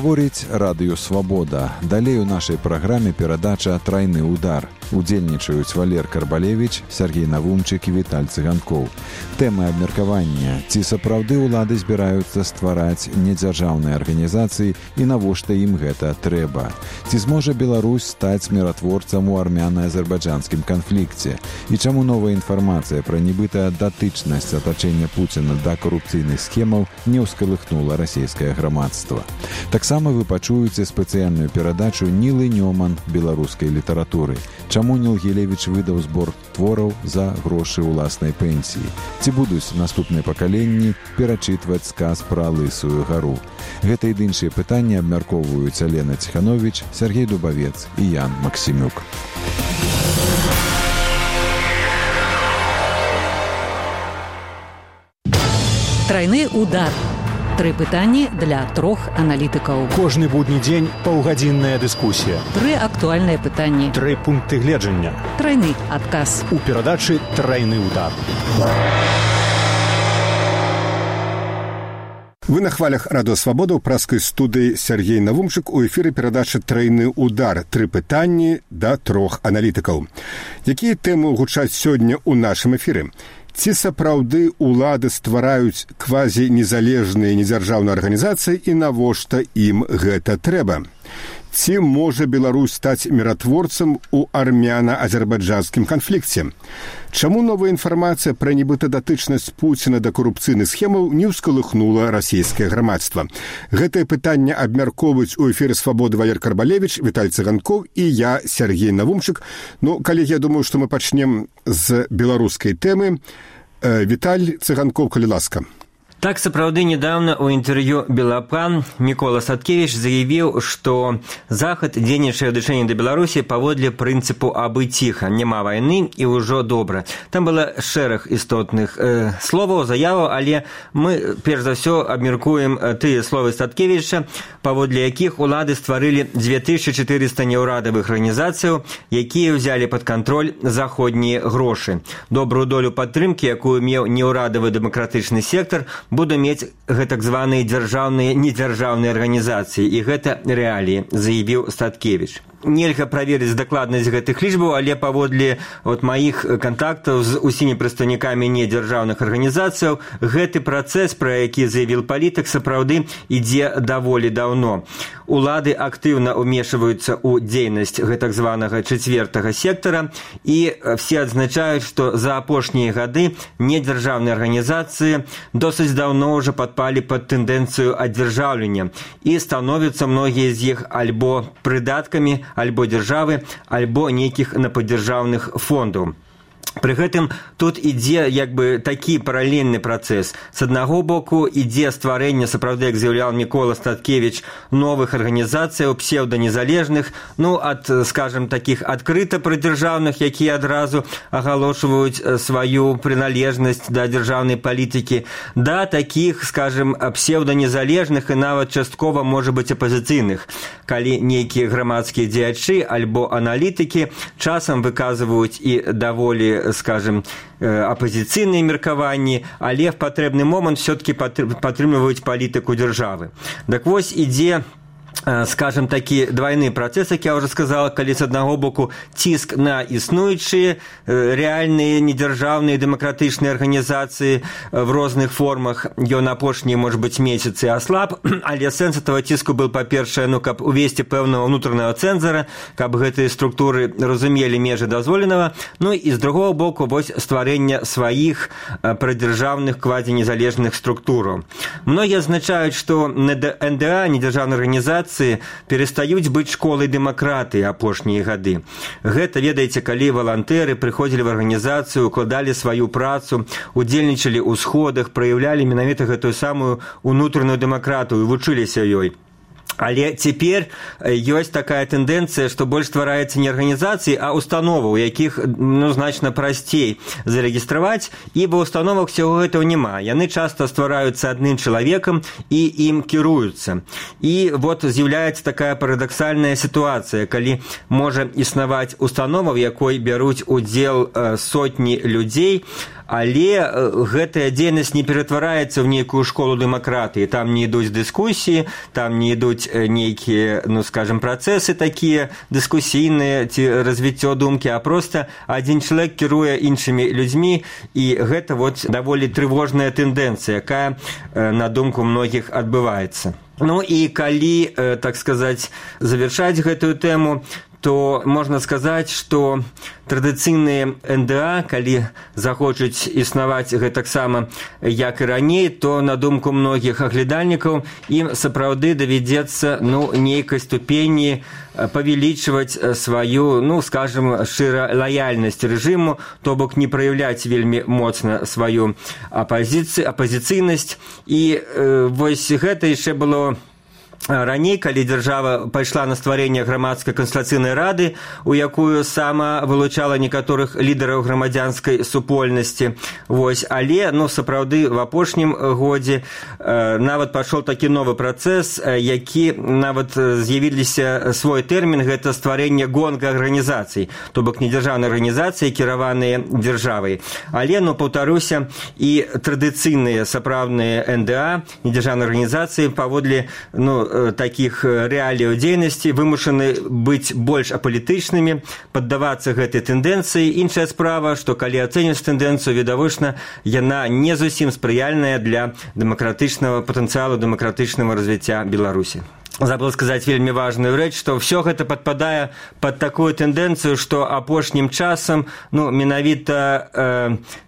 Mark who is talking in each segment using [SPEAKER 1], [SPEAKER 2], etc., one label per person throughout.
[SPEAKER 1] Гаворіць Радыё Свабода. Далей у нашай праграме перадача «Трайны удар». Удзельнічаюць Валер Карбалевіч, Сергей Навумчык і Віталь Цыганкоў. Тэмы абмеркавання. Ці сапраўды ўлады збіраюцца ствараць недзяржаўныя арганізацыі і навошта ім гэта трэба? Ці зможа Беларусь стаць міратворцам у армяна-азербайджанскім канфлікце? І чаму новая інфармацыя пра нібыта датычнасць атачэння Пуціна да карупцыйных схемаў не ўскалыхнула расійскае грамадства? Таксама вы пачуеце спецыяльную перадачу Нілы Нёман беларускай літаратуры. Чаму Ніл Гілевіч выдаў збор твораў за грошы ўласнай пенсіі? Ці будуць наступныя пакаленні перачытваць сказ пра Лысую гару? Гэта і іншыя пытанні абмяркоўваюць Алена Ціхановіч, Сергей Дубавец і Ян Максімюк.
[SPEAKER 2] Трайны удар. 3 пытанні для 3 аналітыкаў.
[SPEAKER 3] Кожны будні дзень паўгадзінная дыскусія.
[SPEAKER 2] 3 актуальныя пытанні.
[SPEAKER 3] 3 пункты гледжання.
[SPEAKER 2] Трайны адказ.
[SPEAKER 3] У перадачы «Трайны удар».
[SPEAKER 4] Вы на хвалях Радыё Свабода ў праскай студыі Сергей Навумчык. У эфіры перадачы «Трайны удар». 3 пытанні да 3 аналітыкаў. Якія тэмы гучаць сёння ў нашым эфіры? Ці сапраўды ўлады ствараюць квазі-незалежныя недзяржаўныя арганізацыі і навошта ім гэта трэба? Ці можа Беларусь стаць міратворцам у армяна-азербайджанскім канфлікце? Чаму новая інфармацыя пра нібыта датычнасць Пуціна да карупцыйных схемаў не ўскалыхнула расійскае грамадства? Гэтае пытанне абмяркоўваюць у эфіры Свабоды Валер Карбалевіч, Віталь Цыганкоў і я, Сергей Навумчык. Калегі, я думаю, што мы пачнем з беларускай тэмы. Віталь Цыганкоў, калі ласка.
[SPEAKER 5] Так, сапраўды, недавно у інтэрв'ю «Белапан» Мікола Садкевіч заявіў, што Захад дзейнічае ў дачыненні да Беларусі паводле прынцыпу «абы ціха», няма вайны і ўжо добра. Там было шэраг істотных словаў, заяваў, але мы, перш за ўсё, абмеркуем тыя словы Садкевіча, паводле якіх улады стварылі 2400 неўрадавых арганізацыяў, якія ўзялі пад кантроль заходнія грошы. Добрую долю падтрымкі, якую меў неўрадавы дэмакратычны сектар, буду мець гэтак званыя дзяржаўныя недзяржаўныя арганізацыі, і гэта рэаліі, заявіў Садкевіч. Нельга праверыць дакладнасць гэтых лічбаў, але паводле маіх кантактаў з усімі прадстаўнікамі недзяржаўных арганізацыяў гэты працэс, пра які заявіў палітык, сапраўды ідзе даволі даўно. Улады актыўна ўмешваюцца ў дзейнасць гэтак званага 4-го сектара, і все адзначаюць, што за апошнія гады недзяржаўныя арганізацыі досыць даўно ўжо падпалі пад тэндэнцыю адзяржаўлення, і становяцца многія з іх альбо прыдаткамі, альбо дзяржавы, альбо нейкіх нападзяржаўных фондаў. Пры гэтым тут ідзе такі паралельны працэс. З аднаго боку ідзе стварэнне, сапраўды, як заяўляў Мікола Садкевіч, новых арганізацыяў псеўданезалежных, ад, скажем, такіх адкрыта прыдзяржаўных, якія адразу агалошваюць сваю прыналежнасць да дзяржаўнай палітыкі, да такіх, скажем, псеўданезалежных і нават часткова, можа быць, апазіцыйных, калі нейкія грамадскія дзеячы альбо аналітыкі часам выказваюць і даволі, скажем, апозіцыйныя меркаванні, але в патрэбны момант все-таки падтрымліваюць палітыку дзяржавы. Так вось ідзе, скажем, такі двойны працэс, як я ўжо сказала, калі з аднаго боку ціск на існуючыя рэальныя недзяржаўныя дэмакратычныя арганізацыі в розных формах, ён апошнія, может быть, месяцы аслаб, але сэнс этого ціску был, па-першае, каб увесці пэўнага ўнутранага цэнзара, каб гэтыя структуры разумелі межы дазволенага, і з другого боку вось стварэння сваіх прыдзяржаўных квазінезалежных структураў. Многія адзначаюць, што НДА, недзяржаўныя арганізацыі, перастаюць быць школай дэмакратыі апошнія гады. Гэта, ведаеце, калі валантэры прыходзілі в арганізацыю, укладалі сваю працу, удзельнічалі ў сходах, праяўлялі менавіта гэтую самую унутраную дэмакратыю, вучыліся ёй. Але цяпер ёсць такая тэндэнцыя, што больш ствараецца не арганізацыі, а установаў, якіх значна прасцей зарэгістраваць, і ва установах всего гэтага няма. Яны часта ствараюцца адным чалавекам і ім кіруюцца. І вот з'яўляецца такая парадаксальная сітуацыя, калі можа існаваць установа, в якой бяруць удзел сотні людзей, але гэтая дзейнасць не ператвараецца ў нейкую школу дэмакратыі. Там не ідуць дыскусіі, там не ідуць нейкія, ну, скажем, працэсы такія дыскусійныя ці развіццё думкі, а проста адзін чалавек кіруе іншымі людзьмі, і гэта вот даволі трывожная тэндэнцыя, якая, на думку многіх, адбываецца. Ну і калі, так сказаць, завяршаць гэтую тэму, то можна сказаць, што традыцыйныя НДА, калі захочуць існаваць гэтаксама, як і раней, то, на думку многіх аглядальнікаў, ім сапраўды давядзецца, ну, нейкай ступені павялічваць сваю, ну, скажем, шчыра лаяльнасць рэжыму, то бок не праяўляць вельмі моцна сваю апазіцыйнасць. І вось гэта яшчэ было раней, калі дзяржава пайшла на стварэнне грамадскай кансультацыйнай рады, у якую сама вылучала некаторых лідараў грамадзянскай супольнасці. Вось. Але, ну, сапраўды, в апошнім годзе нават пашоў такі новы працэс, які нават з'явіліся свой тэрмін, гэта стварэнне гонга-арганізацый, то бок недзяржаўныя арганізацыі, кіраваныя дзяржавай. Але, ну, паўтаруся, і традыцыйныя сапраўдныя НДА, недзяржаўныя арганізацыі, паводле, ну, такіх рэаліяў дзейнасці вымушаны быць больш апалітычнымі, паддавацца гэтай тэндэнцыі. Іншая справа, што калі ацэньваць тэндэнцыю, відавочна, яна не зусім спрыяльная для дэмакратычнага патэнцыялу, дэмакратычнага развіцця Беларусі. Забыл сказаць вельмі важную рэч, што ўсё гэта падпадае пад такую тэндэнцыю, што апошнім часам, ну, менавіта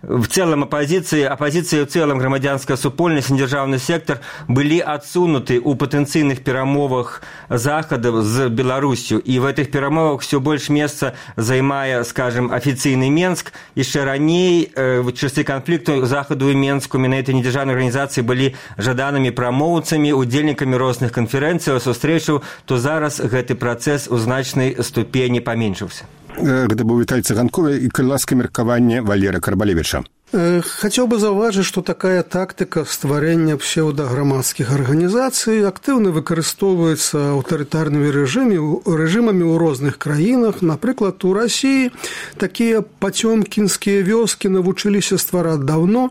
[SPEAKER 5] в цэлым апазіцыі ў цэлым грамадзянская супольнасць і дзяржаўны сектар былі адсунуты ў патэнцыйных перамовах захадаў з Беларусю. І в гэтых перамовах ўсё больш месца займае, скажем, афіцыйны Менск. Яшчэ раней в часы канфлікту захаду і Менску менавіта недзяржаўныя арганізацыі былі жаданымі прамоўцамі, удзельнікамі розных канферэнцый, сустрэчаў, то зараз гэты працэс у значнай ступені паменшыўся.
[SPEAKER 4] Гэта быў Віталь Цыганков і каласка меркаванне Валера Карбалевіча.
[SPEAKER 6] Хотел бы заўважыць, што такая тактыка стварэння псеўдаграмадскіх арганізацый актыўна выкарыстоўваецца аўтарытарнымі рэжымамі ў розных краінах. Напрыклад, у Расіі такія пацёмкінскія вёскі навучыліся ствараць даўно.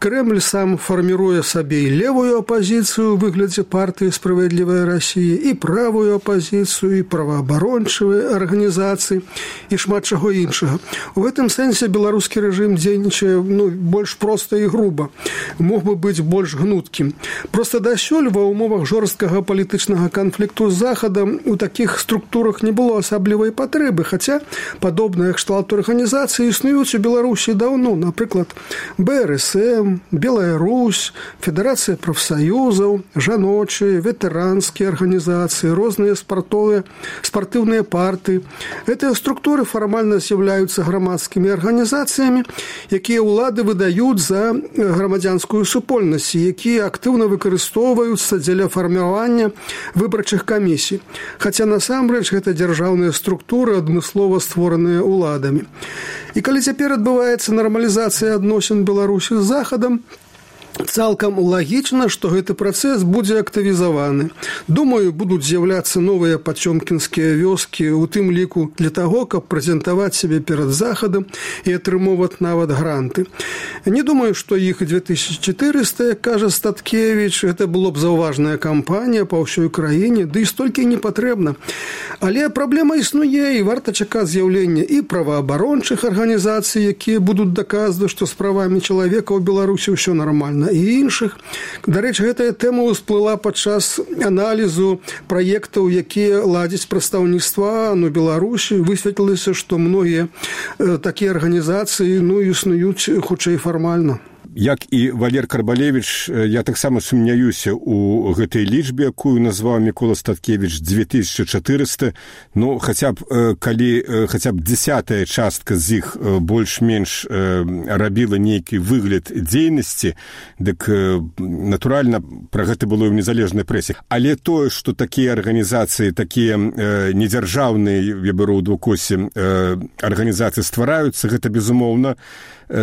[SPEAKER 6] Крэмль сам фарміруе сабе і левую апазіцыю ў выглядзе партыі «Справядлівая Расія», і правую апазіцыю, і праваабарончыя арганізацыі, і шмат чаго іншага. У гэтым сэнсе беларускі рэжым дзейнічае, ну, больш проста і груба, мог бы быць больш гнуткім. Проста дасюль ва ўмовах жорсткага палітычнага канфлікту з Захадам у такіх структурах не было асаблівай патрэбы, хаця падобныя кшталту арганізацыі існуюць у Беларусі даўно, напрыклад, БРСМ, Белая Русь, Федэрацыя прафсаюзаў, жаночыя, ветэранскія арганізацыі, розныя спартыўныя партыі. Гэтыя структуры фармальна з'яўляюцца грамадскімі арганізацыямі, якія ўлады выдаюць за грамадзянскую супольнасць, якія актыўна выкарыстоўваюцца дзеля фарміравання выбарчых камісій. Хаця насамрэч гэта дзяржаўныя структуры, адмыслова створаныя ўладамі. І калі цяпер адбываецца нармалізацыя адносін Беларусі з Захадам, цалкам лагічна, што гэты працэс будзе актывізаваны. Думаю, будуць з'яўляцца новыя пацёмкінскія вёскі, у тым ліку для таго, каб прэзентаваць сябе перад Захадам і атрымоўваць нават гранты. Не думаю, што іх 2400, як кажа Статкевіч, гэта было б заўважная кампанія па ўсёй краіне, ды і столькі не патрэбна. Але праблема існуе, і варта чакаць з'яўлення і праваабарончых арганізацый, якія будуць даказваць, што з правамі чалавека ў Беларусі ўсё нармальна, і іншых. Дарэчы, гэтая тэма ўсплыла падчас аналізу праектаў, якія ладзяць прадстаўніцтва у Беларусі. Высветлілася, што многія такія арганізацыі, ну, існуюць хутчэй фармальна.
[SPEAKER 4] Як і Валер Карбалевіч, я таксама сумняюся ў гэтай лічбе, якую назваў Мікола Статкевіч, 2400. Ну, хаця б, калі хаця б 10-я частка з іх больш-менш рабіла нейкі выгляд дзейнасці, дык, натуральна, пра гэта было ў незалежнай прэсе. Але тое, што такія арганізацыі, такія недзяржаўныя, я беру ў двукосе, арганізацыі ствараюцца, гэта, безумоўна,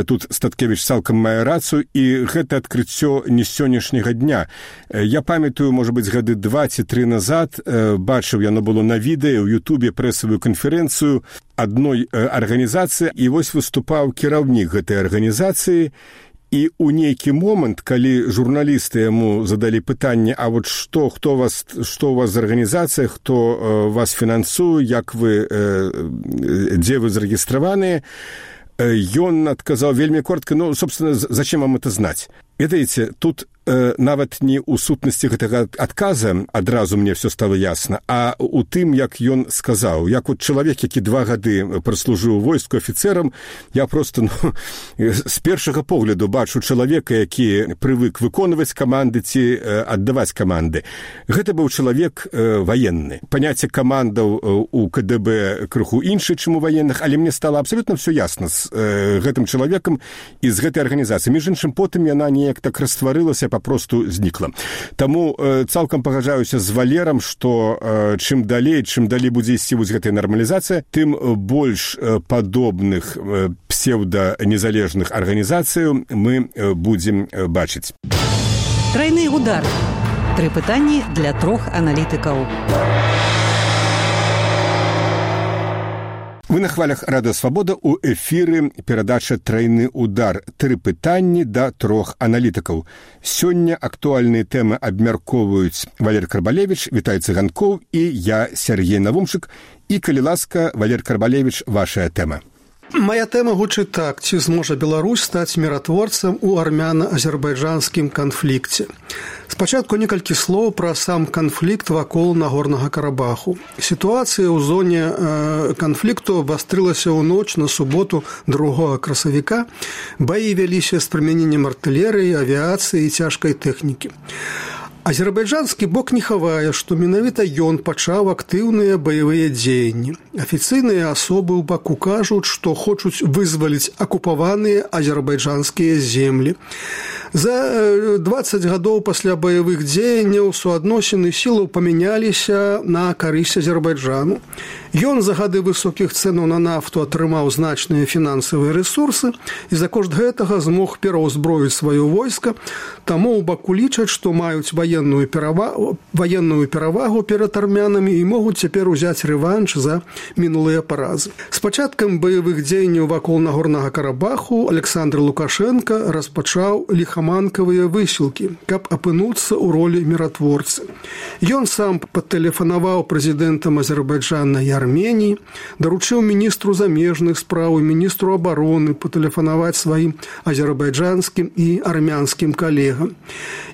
[SPEAKER 4] тут Статкевіч цалкам мае рацыю, і гэта адкрыццё не з сённяшняга дня. Я памятаю, можа быць, гады 2 ці 3 назад, бачыў, яно было на відэа, ў Ютубе прэсавую канферэнцыю адной арганізацыі, і вось выступаў кіраўнік гэтай арганізацыі, і ў нейкі момант, калі журналісты яму задалі пытанне, а вот што у вас за арганізацыя, хто вас фінансуе, як вы, дзе вы зарэгістраваныя, ён адказаў вельмі коротка, ну, собственно, зачем вам это знаць? Ведаеце, тут нават не ў сутнасці гэтага адказа адразу мне все стало ясна, а у тым, як ён сказаў. Як от чалавек, які 2 гады праслужыў войску афіцэрам, я просто з першага погляду бачу чалавека, які прывык выконваць каманды ці аддаваць каманды. Гэта быў чалавек ваенны. Паняцце камандаў у КДБ крыху іншы, чым у ваенных, але мне стало абсолютно все ясна з гэтым чалавекам і з гэтай арганізацыі. Між іншым, потым яна неяк так растварылася, папросту знікла. Таму цалкам пагаджаюся з Валерам, што чым далей будзе ісці вось гэтая нармалізацыя, тым больш падобных псеўданезалежных арганізацыяў мы будзем бачыць.
[SPEAKER 2] Тройны удар. 3 пытанні для 3 аналітыкаў.
[SPEAKER 4] Вы на хвалях Радыё Свабода, у эфіры перадача «Тройны удар». 3 пытанні да 3 аналітыкаў. Сёння актуальныя тэмы абмяркоўваюць Валер Карбалевіч, Віталь Цыганкоў і я, Сергей Навумчык. І, калі ласка, Валер Карбалевіч, вашая тэма.
[SPEAKER 6] Моя тэма гучыць так: ці зможа Беларусь стаць міратворцам у армяна-азербайджанскім канфлікце. Спачатку некалькі слоў пра сам канфлікт вакол Нагорнага Карабаху. Сітуацыя ў зоне канфлікту абвастрылася ў ноч на суботу 2 красавіка. Баі вяліся з прымяненнем артылерыі, авіяцыі і цяжкай тэхнікі. Азербайджанскі бок не хавае, што менавіта ён пачаў актыўныя баявыя дзеянні. Афіцыйныя асобы ў баку кажуць, што хочуць вызваліць акупаваныя азербайджанскія землі. За 20 гадоў пасля баявых дзеянняў суадносіны сілаў памяняліся на карысць Азербайджану. Ён за гады высокіх цэнаў на нафту атрымаў значныя фінансавыя рэсурсы і за кошт гэтага змог пераўзброіць сваё войска, таму ў баку лічаць, што маюць ваенную перавагу перад армянамі і могуць цяпер узяць рэванш за мінулыя паразы. З пачаткам баявых дзеянняў вакол Нагорнага Карабаху Александр Лукашенко распачаў ліхаманкавыя высілкі, каб апынуцца ў ролі міратворцы. Ён сам патэлефанаваў прэзідэнтам Азербайджана і Арменіі, даручыў міністру замежных спраў і міністру абароны патэлефанаваць сваім азербайджанскім і армянскім калегам.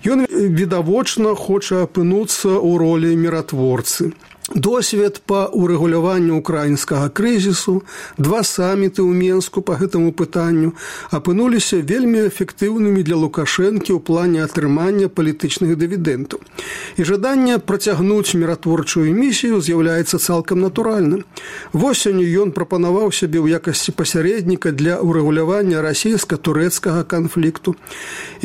[SPEAKER 6] Ён відавочна хоча апынуцца ў ролі міратворцы. Досвед па урэгуляванню украінскага крызісу, 2 саміты ў Менску па гэтаму пытанню апынуліся вельмі эфектыўнымі для Лукашэнкі ў плане атрымання палітычных дывідэнтаў. І жаданне працягнуць міратворчую місію з'яўляецца цалкам натуральным. Восенню ён прапанаваў сябе ў якасці пасярэдніка для урэгулявання расійска-турэцкага канфлікту.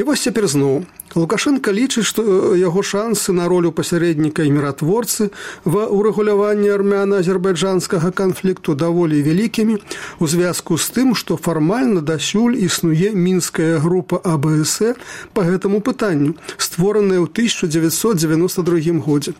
[SPEAKER 6] І вось цяпер зноў. Лукашенко лічыць, што яго шансы на ролю пасярэдніка і міратворцы ва урэгуляванні армяна-азербайджанскага канфлікту даволі вялікімі у звязку з тым, што фармальна дасюль існуе мінская група АБСР па гэтаму пытанню, створаная ў 1992 годзе.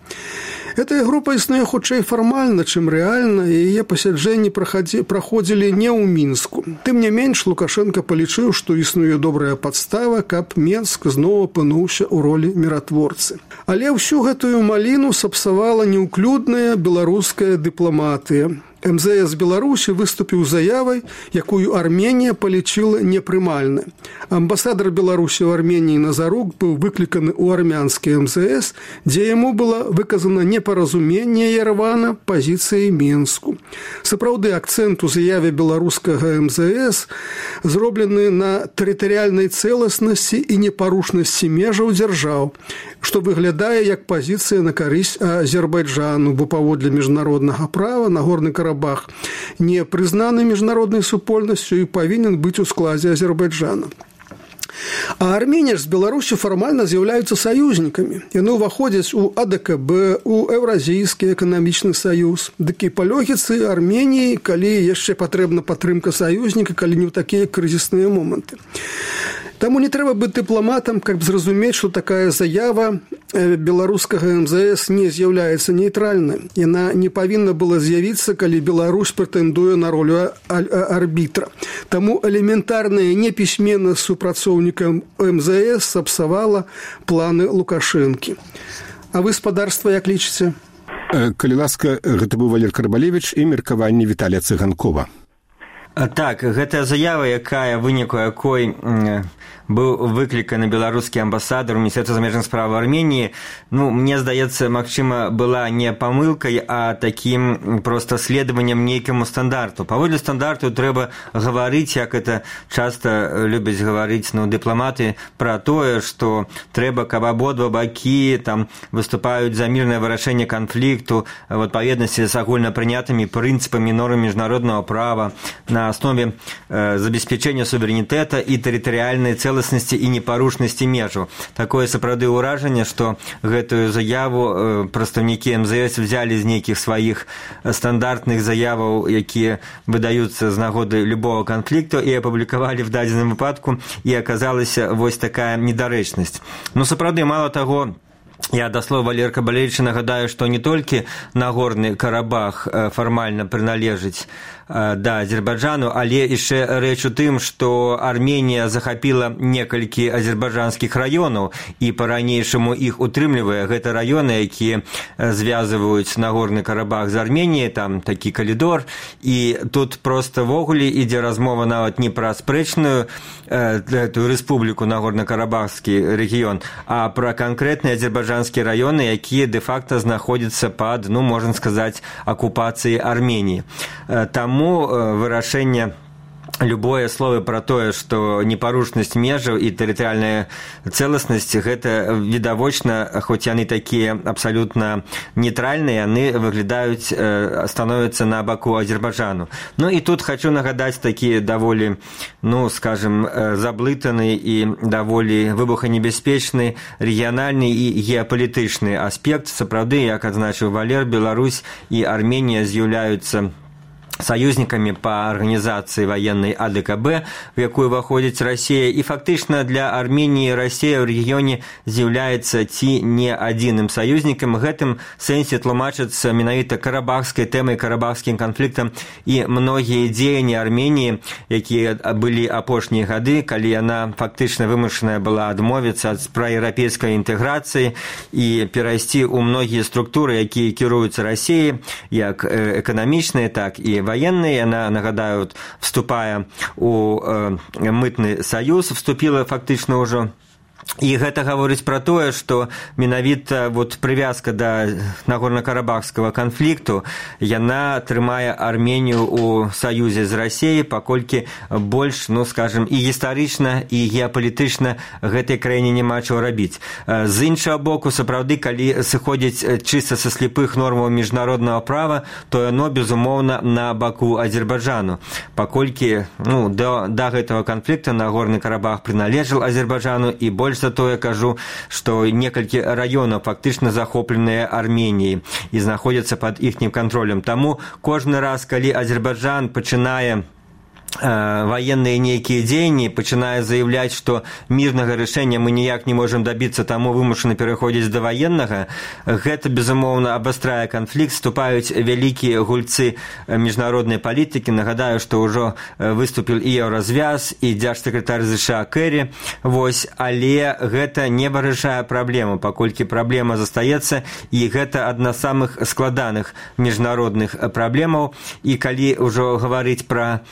[SPEAKER 6] Гэтая група існуе хутчэй фармальна, чым рэальна, і яе пасяджэнні праходзілі не ў Мінску. Тым не менш, Лукашенко палічыў, што існуе добрая падстава, каб Менск зноў апынуўся ў ролі міратворцы. Але ўсю гэтую маліну сапсавала неўклюдная беларуская дыпламатыя. МЗС Беларусі выступіў заявай, якую Арменія палічыла непрымальнай. Амбасадар Беларусі ў Арменіі Назарук быў выкліканы ў армянскі МЗС, дзе яму было выказана непаразуменне Еревана пазіцыі Менску. Сапраўды, акцэнт у заяве беларускага МЗС зроблены на тэрытарыяльнай цэласнасці і непарушнасці межаў дзяржаў, што выглядае як пазіцыя на карысць Азербайджану, бо паводле міжнароднага права Нагорны Карабах не прызнаны міжнароднай супольнасцю і павінен быць у складзе Азербайджана. А Армения с Беларусью формально з'яўляюцца саюзнікамі. Яны ўваходзяць у АДКБ, у Еўразійскі эканамічны саюз. Дык і па логіцы Арменіі, калі яшчэ патрэбна падтрымка саюзніка, калі не ў такія крызісныя моманты. Таму не трэба быць дыпламатам, каб зразумець, што такая заява беларускага МЗС не з'яўляецца нейтральнай. Яна не павінна была з'явіцца, калі Беларусь прэтэндуе на ролю арбітра. Таму элементарная непісьменнасць супрацоўнікам МЗС сапсавала планы Лукашэнкі. А вы, спадарства, як лічыце?
[SPEAKER 4] Калі ласка, гэта быў Валер Карбалевіч і меркаванне Віталія Цыганкова.
[SPEAKER 5] Так, гэта заява, якая выніку якой быў выкліканы беларускі амбасадар у Міністэрства замежных справ Арменіі. Мне здаецца, магчыма, была не памылкай, а такім проста следаваннем нейкаму стандарту. Паводле стандарту трэба гаварыць, як это часта любяць гаварыць дыпламаты, пра тое, што трэба, каб абодва бакі там выступаюць за мірнае вырашэнне канфлікту в адпаведнасці з агульнапрынятымі прынцыпамі нормы міжнароднага права на аснове забеспячэння суверэнітэта і тэрытарыяльнай цэласнасці і непарушнасці межаў. Такое сапраўды ўражанне, што гэтую заяву прадстаўнікі МЗС взялі з нейкіх сваіх стандартных заяваў, якія выдаюцца з нагоды любого канфлікту, і апублікавалі в дадзеным выпадку, і аказалася вось такая недарэчнасць. Сапраўды, мала таго, я да слова Валерия Карбалевича нагадаю, што не толькі Нагорны Карабах фармальна прыналежыць да Азербайджану, але яшчэ рэч у тым, што Арменія захапіла некалькі азербайджанскіх раёнаў і па-ранейшаму іх утрымлівае. Гэта раёны, якія звязваюць Нагорны Карабах з Арменіяй, там такі калідор, і тут проста ввогуле ідзе размова нават не пра спрэчную эту рэспубліку Нагорна-Карабахскі рэгіён, а пра канкрэтныя азербайджанскія раёны, якія дэ-факта знаходзяцца пад, можна сказаць, акупацыяй Арменіі. Таму вырашэнне любое слово пра тое, што непарушнасць межаў і тэрытарыяльная цэласнасць, гэта відавочна, хоць яны такія абсалютна нейтральныя, яны выглядаюць, становяцца на баку Азербайджану. І тут хочу нагадаць такі даволі, скажем, заблытаны і даволі выбуханебяспечны рэгіянальны і геапалітычны аспект. Сапраўды, як адзначыў Валер, Беларусь і Арменія з'яўляюцца союзниками по организации военной АДКБ, в якую входит Россия, и фактично для Армении Россия в регионе является ці не адзіным союзником. В гэтым сэнсе тлумачыцца менавіта карабахскай тэмай, карабахскім канфліктам і многія дзеянні Арменіі, якія былі апошнія гады, калі яна фактычна вымушаная была адмовіцца ад праеўрапейскай інтэграцыі і перайсці ў многія структуры, якія кіруюцца Расіяй, як эканамічныя, так і военные. Она, нагадаю, вступая у мытный союз, вступила фактично уже. І гэта гаворыць пра тое, што менавіта прывязка да Нагорна-Карабахскага канфлікту, яна трымае Арменію ў саюзе з Расіяй, паколькі больш, скажем, і гістарычна, і геапалітычна гэтай краіне няма чаго рабіць. З іншага боку, сапраўды, калі сыходзіць чыста са слепых нормаў міжнароднага права, то яно, безумоўна, на баку Азербайджану. Паколькі да гэтага канфлікта Нагорны Карабах прыналежаў Азербайджану, і больш за то я кажу, што некалькі раёнаў фактычна захопленыя Арменіяй і знаходзяцца пад іхнім кантролем. Таму кожны раз, калі Азербайджан пачынае военные нейкія дзеянні, пачынае заявляць, што мірнага рашэння мы ніяк не можам дабіцца, таму вымушаны пераходзіць да ваеннага, гэта, безумоўна, абастрае канфлікт, вступаюць вялікія гульцы міжнароднай палітыкі. Нагадаю, што ўжо выступіў і Еўразвяз, і дзяржсакратар ЗША Кэрі, але гэта не вырашае праблему, паколькі праблема застаецца, і гэта адна з самых складаных міжнародных праблемаў. І калі ўжо гаварыць пра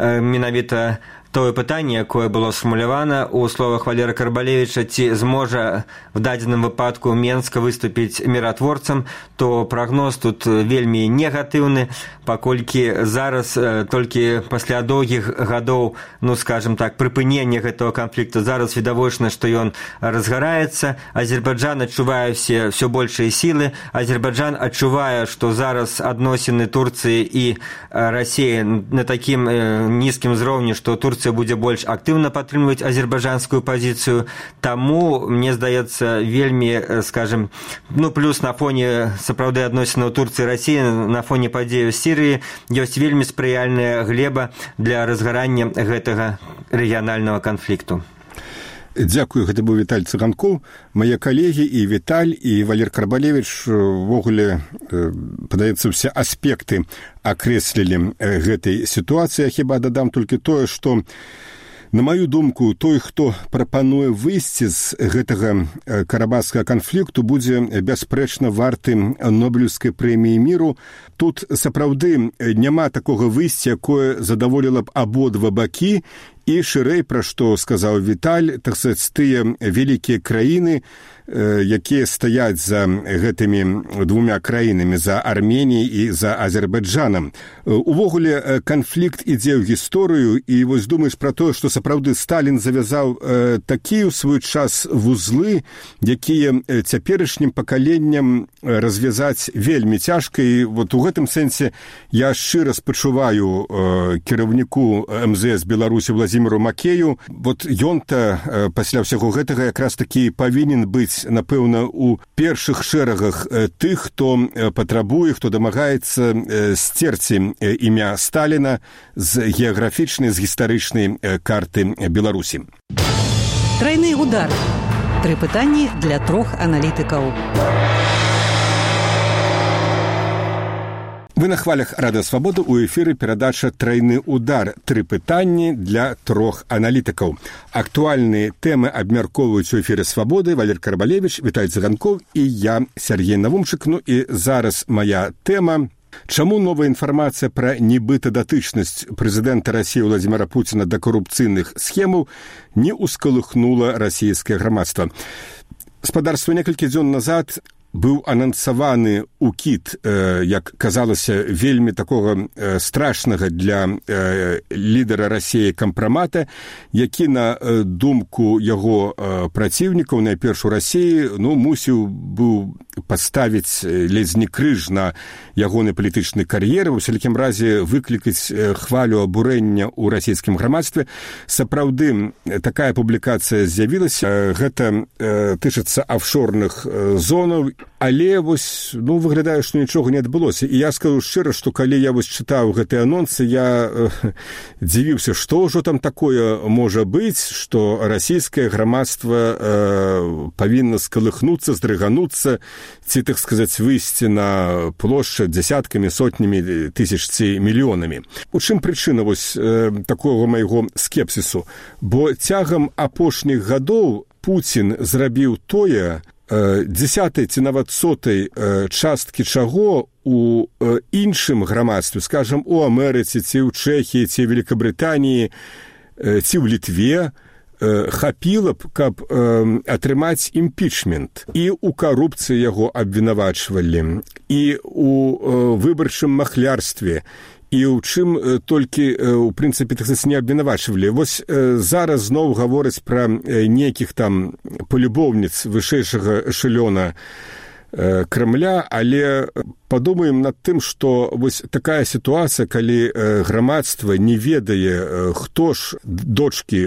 [SPEAKER 5] менавіта тое пытанне, якое было сфармулявана ў словах Валера Карбалевіча, ці зможа в дадзеным выпадку Менск выступіць міратворцам, то прагноз тут вельмі негатыўны, паколькі зараз толькі пасля доўгіх гадоў, скажем так, прыпынення гэтага канфлікту, зараз відавочна, што ён разгараецца. Азербайджан адчувае ўсё большыя сілы. Азербайджан адчувае, што зараз адносіны Турцыі і Расіі на такім нізкім узроўні, што Турцыя Турцыя будзе больш актыўна падтрымліваць азербайджанскую пазіцыю. Таму, мне здаецца, вельмі, скажем, плюс на фоне сапраўды адносінаў Турцыі і Расіі, на фоне падзеяў Сірыі ёсць вельмі спрыяльная глеба для разгарання гэтага рэгіянальнага канфлікту.
[SPEAKER 4] Дзякую, гэта быў Віталь Цыганкоў. Мае калегі і Віталь, і Валер Карбалевіч увогуле, падаецца, ўсе аспекты акрэслілі гэтай сітуацыі. Я хіба дадам толькі тое, што, на маю думку, той, хто прапануе выйсці з гэтага карабахскага канфлікту, будзе бясспрэчна варты Нобелеўскай прэміі міру. Тут сапраўды няма такога выйсця, якое задаволіла б абодва бакі. І шырэй, пра што сказаў Віталь, так сказаць, тыя вялікія краіны, якія стаяць за гэтымі двумя краінамі, за Арменіяй і за Азербайджанам. Увогуле, канфлікт ідзе ў гісторыю, і вось думаеш пра тое, што сапраўды Сталін завязаў такія ў свой час вузлы, якія цяперашнім пакаленням развязаць вельмі цяжка. І вот у гэтым сэнсе я шчыра спачуваю кіраўніку МЗС Беларусі Владзіміру Макею. Вот ён-то пасля ўсяго гэтага якраз такі павінен быць, напэўна, у першых шэрагах тых, хто патрабуе, хто дамагаецца сцерці імя Сталіна з геаграфічнай, з гістарычнай карты Беларусі.
[SPEAKER 2] Тройны удар. 3 пытанні для 3 аналітыкаў.
[SPEAKER 4] Вы на хвалях Радыё Свабода, у эфіры перадача «Тройны удар». 3 пытанні для 3 аналітыкаў. Актуальныя тэмы абмяркоўваюць у эфіры Свабоды Валер Карбалевіч, Віталь Цыганкоў і я, Сергей Навумчык. І зараз моя тэма. Чаму новая інфармацыя пра нібыта датычнасць прэзідэнта Расіі Владзіміра Пуціна да карупцыйных схемаў не ўскалыхнула расійскае грамадства? Спадарства, некалькі дзён назад быў анансаваны укід, як казалася, вельмі такога страшнага для лідара Расіі кампрамата, які, на думку яго праціўнікаў, найперш у Расіі, мусіў быў паставіць ледзь не крыж на ягоны палітычны кар'еры, у всякім разе выклікаць хвалю абурэння ў расійскім грамадстве. Сапраўды, такая публікацыя з'явілася. Гэта тычыцца афшорных зонаў, але вось, выглядае, што нічога не адбылося. І я скажу шчыра, што калі я вось чытаў гэтыя анонсы, я дзівіўся, што ўжо там такое можа быць, што расійскае грамадства павінна скалыхнуцца, здрыгануцца, ці, так сказаць, выйсці на плошчы дзясяткамі, сотнямі тысяч ці мільёнамі. У чым прычына вось такога майго скепсісу? Бо цягам апошніх гадоў Пуцін зрабіў тое, 10-й ці нават 100-й часткі чаго у іншым грамадстве, скажам, у Амерыцы, ці ў Чэхіі, ці Великабрытаніі, ці ў Літве, хапіла б, каб атрымаць імпічмент. І ў карупцыі яго абвінавачвалі, і ў выбарчым махлярстве, і ў чым толькі, у прынцыпе, так сказаць, не абвінавачвалі. Вось зараз зноў гавораць пра нейкіх там палюбоўніц вышэйшага эшэлёна Кремля, але падумаем над тым, што вось такая сітуацыя, калі грамадства не ведае, хто ж дочкі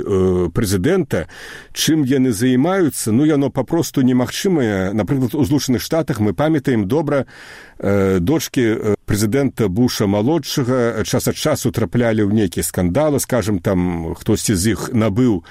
[SPEAKER 4] прэзідэнта, чым яны займаюцца, яно папросту немагчымае. Напрыклад, у Злучаных Штатах мы памятаем добра, дочкі прэзідэнта Буша-малодшага час ад часу траплялі ў нейкія скандалы, скажам, там хтосьці з іх набыў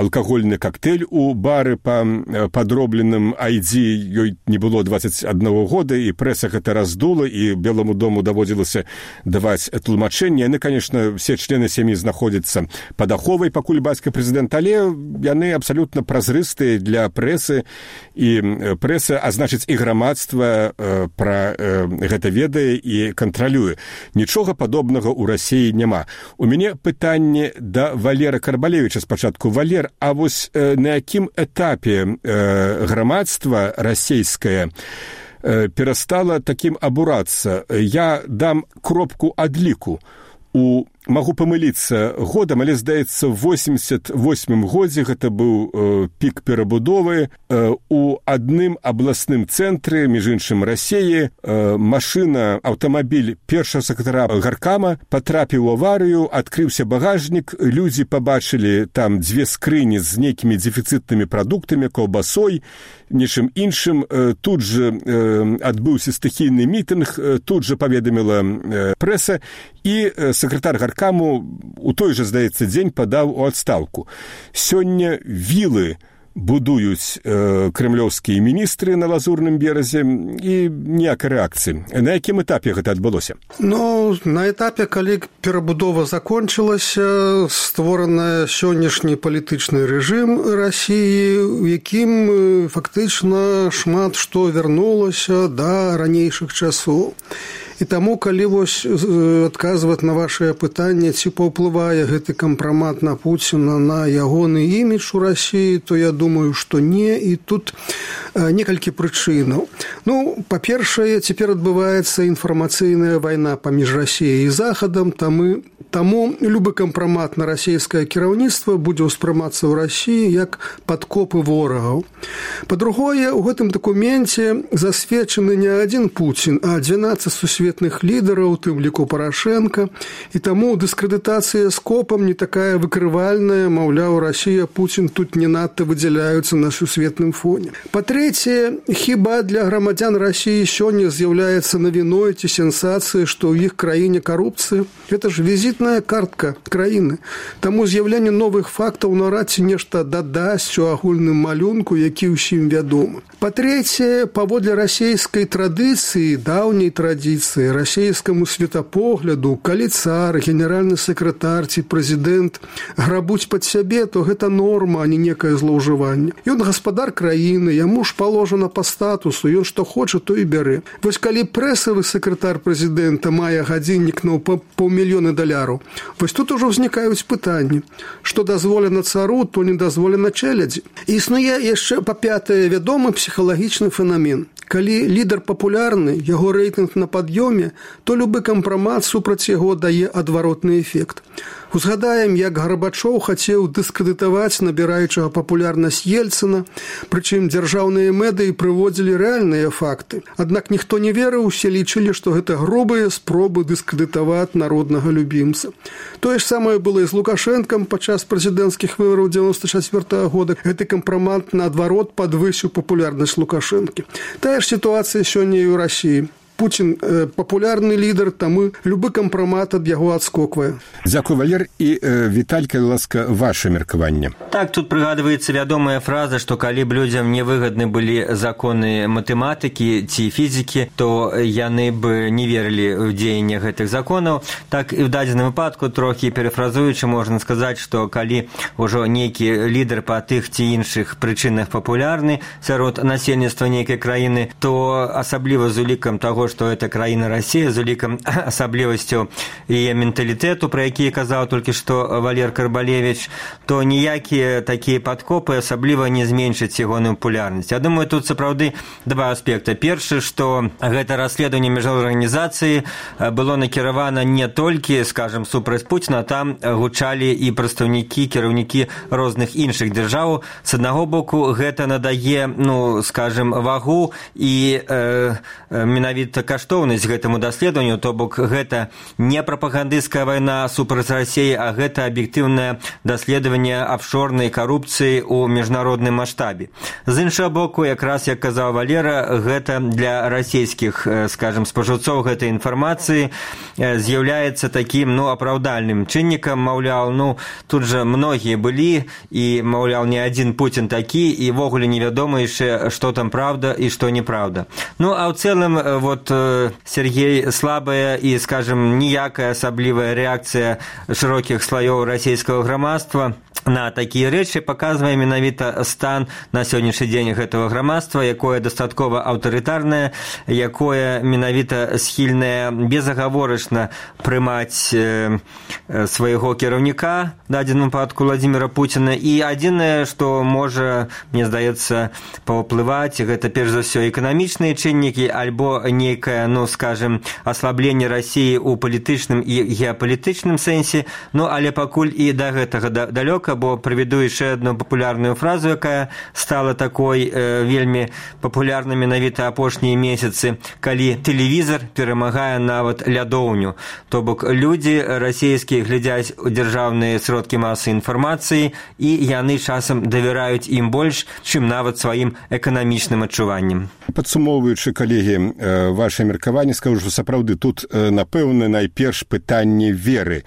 [SPEAKER 4] алкагольны коктейль у бары па падробленым ID, ёй не было 21 года, і прэса гэта раздула, і Белому дому даводзілася даваць тлумачэнне. Яны, конечно, все члены сям'і знаходзяцца пад аховай, пакуль бацька прэзідэнт, але яны абсалютна празрыстыя для прэсы, і прэса, а значыць і грамадства пра гэта ведае і кантралюе. Нічога падобнага ў Расіі няма. У мяне пытанне да Валера Карбалевіча спачатку. Валер, а вось на якім этапе грамадства расійскае перастала такім абурацца? Я дам кропку адліку. У магу памыліцца годам, але, здаецца, в 88 годзе гэта быў пік перабудовы. У адным абласным цэнтры, між іншым Расіі, машына, аўтамабіль першага сакратара гаркама патрапіў у аварыю, адкрыўся багажнік, людзі пабачылі там дзве скрыні з нейкімі дэфіцытнымі прадуктамі, каўбасой, нечым іншым. Тут жа адбыўся стыхійны мітынг, тут жа паведаміла прэса, і сакратар гаркаму у той жа, здаецца, дзень падаў у адстаўку. Сёння вілы будуюць крэмлёўскія міністры на Лазурным беразе, і ніякай рэакцыі. На якім этапе гэта адбылося?
[SPEAKER 6] На этапе, калі перабудова закончылася, створаны сённяшні палітычны рэжым Расіі, у якім фактычна шмат што вярнулася да ранейшых часоў. І таму, калі вось адказваць на вашае пытанне, ці паўплывае гэты кампрамат на Пуціна на ягоны імідж у Расіі, то я думаю, што не, і тут некалькі прычынаў. Па-першае, цяпер адбываецца інфармацыйная вайна паміж Расіяй і Захадам, таму любы кампрамат на расійскае кіраўніцтва будзе ўспрымацца ў Расіі як падкопы ворагаў. Па-другое, у гэтым дакуменце засведчаны не адзін Пуцін, а 12 сусветных лідараў, у тым ліку Парашенка, і таму дыскрэдытацыя скопам не такая выкрывальная, маўляў, Расія, Пуцін тут не надта выдзяляюцца на сусветным фоне. Па-трэцяе, хіба для грамадзян Расіі сёння з'яўляецца навіной ці сенсацыяй, што ў іх краіне карупцыя? Гэта ж візітная картка краіны. Таму з'яўленне новых фактаў наўрад ці нешта дадасць у агульным малюнку, які ўсім вядомы. Па-трэцяе, паводле расійскай традыцыі, даўняй традыцыі, расійскаму светапогляду, калі цар, генеральны сакратар ці прэзідэнт грабуць пад сябе, то гэта норма, а не некае злоўжыванне. Ён гаспадар краіны, яму ж паложана па статусу, ён што хоча, то і бярэ. Вось калі прэсавы сакратар прэзідэнта мае гадзіннік на $500 000, вось тут ужо ўзнікаюць пытанні, што дазволена цару, то не дазволена чэлядзі. Існуе яшчэ, па-пятае, вядомы псіхалагічны фенамен. Калі лідар папулярны, яго рэйтынг на пад'ёме, то любы кампрамат супраць яго дае адваротны эфект. Узгадаем, як Гарбачоў хацеў дыскрэдытаваць набіраючага папулярнасць Ельцына, прычым дзяржаўныя медыі прыводзілі рэальныя факты. Аднак ніхто не верыў, усе лічылі, што гэта грубыя спробы дыскрэдытаваць народнага любімца. Тое ж самае было і з Лукашэнкам падчас прэзідэнцкіх выбараў 94 года. Гэты кампрамат, наадварот, падвысіў папулярнасць Лукашэнкі. Тая ж сітуацыя сёння і ў Расіі. Пуцін папулярны лідар, таму любы кампрамат ад яго адскоквае.
[SPEAKER 4] Дзякуй, Валер. І Віталь, калі ласка, ваше меркаванне.
[SPEAKER 5] Так, тут прыгадваецца вядомая фраза, што калі б людзям не выгадны былі законы матэматыкі ці фізікі, то яны б не верылі ў дзеянне гэтых законаў. Так і ў дадзеным выпадку, трохі перафразуючы, можна сказаць, што калі ўжо нейкі лідар па тых ці іншых прычынах папулярны сярод насельніцтва нейкай краіны, то асабліва з улікам таго, што это краіна Расія, з улікам асаблівасцю яе менталітэту, пра які казаў толькі што Валер Карбалевіч, то ніякія такія падкопы асабліва не зменшаць ягоную папулярнасць. Я думаю, тут сапраўды два аспекты. Першы, што гэта расследаванне міжнароднай арганізацыі было накіравана не толькі, скажам, супраць Пуціна, там гучалі і прадстаўнікі, кіраўнікі розных іншых дзяржаў. З аднаго боку, гэта надае, скажам, вагу і менавіта каштоўнасць гэтаму даследаванню, то бок гэта не прапагандысцкая вайна супраць Расіі, а гэта аб'ектыўнае даследаванне афшорнай карупцыі ў міжнародным маштабе. З іншага боку, якраз, як казаў Валера, гэта для расійскіх, скажам, спажыўцоў гэтай інфармацыі з'яўляецца такім, апраўдальным чыннікам, маўляў, тут жа многія былі, і, маўляў, не адзін Пуцін такі, і ввогуле невядома яшчэ, што там праўда і што неправда. А ў цэлым, Сергей, слабая і, скажем, ніякая асаблівая рэакцыя шырокіх слаёў расійскага грамадства на такія рэчы, паказвае менавіта стан на сённяшні дзень гэтага грамадства, якое дастаткова аўтарытарнае, якое менавіта схільнае безагаворачна прымаць свайго кіраўніка, в дадзеным выпадку Владзіміра Пуціна. І адзінае, што можа, мне здаецца, паўплываць, гэта перш за ўсё эканамічныя чыннікі альбо нейкае, скажем, аслабленне Расіі ў палітычным і геапалітычным сэнсе, але пакуль і да гэтага далёка, бо прыведу яшчэ адну папулярную фразу, якая стала такой вельмі папулярнай менавіта апошнія месяцы, калі тэлевізар перамагае нават лядоўню. То бок людзі расійскія глядзяць у дзяржаўныя сродкі масавай інфармацыі, і яны часам давяраюць ім больш, чым нават сваім эканамічным адчуванням.
[SPEAKER 4] Падсумоўваючы, калегі, ваше меркаванне, скажу, што сапраўды тут, напэўна, найперш пытанне веры.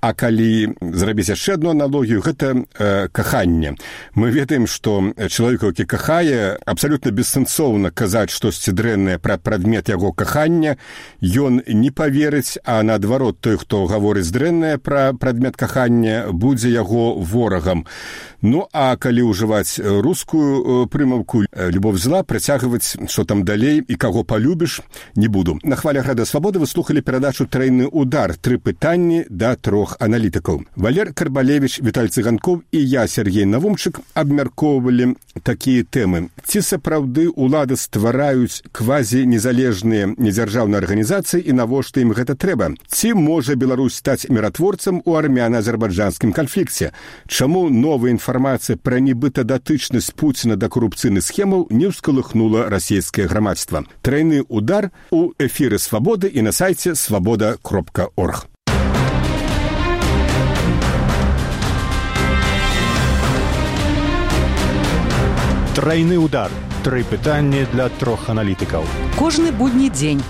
[SPEAKER 4] А калі зрабіць яшчэ адну аналогію, гэта каханне. Мы ведаем, што чалавек, які кахае, абсалютна бессэнсоўна казаць штосьці дрэннае пра прадмет яго кахання, ён не паверыць, а наадварот, той, хто гаворыць дрэннае пра прадмет кахання, будзе яго ворагам. А калі ўжываць рускую прымаўку «любовь зла», працягваць, што там далей і каго палюбіш, не буду. На хвалях Рада Свабоды вы слухалі перадачу «Трайны удар». 3 пытанні да 3 аналітыкаў. Валер Карбалевіч, Віталь Цыганкоў і я, Сергей Навумчык, абмяркоўвалі такія тэмы. Ці сапраўды ўлады ствараюць квазі-незалежныя недзяржаўныя арганізацыі і навошта ім гэта трэба? Ці можа Беларусь стаць міратворцам у армяна-азербайджанскім канфлікце? Чаму новая інфармацыя пра нібыта датычнасць Пуціна да карупцыйных схемаў не ўскалыхнула расійскае грамадства? Трайны удар у эфіры Свабоды і на сайце свабода.орг.
[SPEAKER 3] Трайны удар. 3 пытанні для 3 аналітыкаў.
[SPEAKER 2] Кожны будні дзень